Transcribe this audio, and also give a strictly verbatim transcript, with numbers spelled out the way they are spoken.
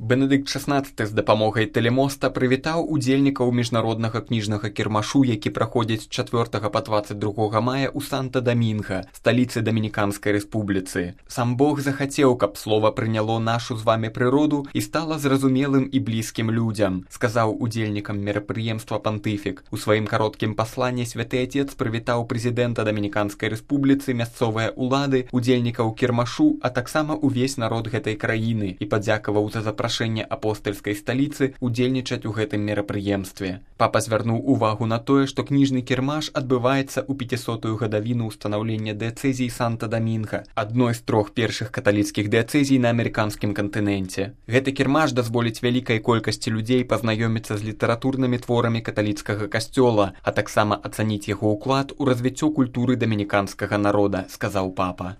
Бенедыкт шаснаццаты з дапамогай тэлемоста прывітаў удзельнікаў міжнароднага кніжнага кірмашу, які праходзіць з чацвёртага па дваццаць другога мая ў Санта-Дамінга, сталіцы Дамініканскай рэспубліцы. Сам Бог захацеў, каб слова прыняло нашу з вамі прыроду і стала зразумелым і блізкім людзям, сказаў удзельнікам мерапрыемства пантыфік. У сваім кароткім пасланні святы Отец прывітаў прэзідэнта Дамініканскай рэспубліцы, мясцовыя ўлады, удзельнікаў кірмашу, а таксама ўвесь народ гэтай краіны і падзякаваў за запрашэнне апостальскай сталіцы удзельнічаць у гэтым мерапрыемстве. Папа звярнуў увагу на тое, што кніжны кірмаш адбываецца ў пяцісотую гадавіну ўстанаўлення дыяцэзіі Санта-Дамінга, адной з трох першых каталіцкіх дыяцэзій на амерыканскім кантыненце. Гэты кірмаш дазволіць вялікай колькасці людзей пазнаёміцца з літаратурнымі творамі каталіцкага касцёла, а таксама ацаніць яго ўклад у развіццё культуры дамініканскага народа, сказаў папа.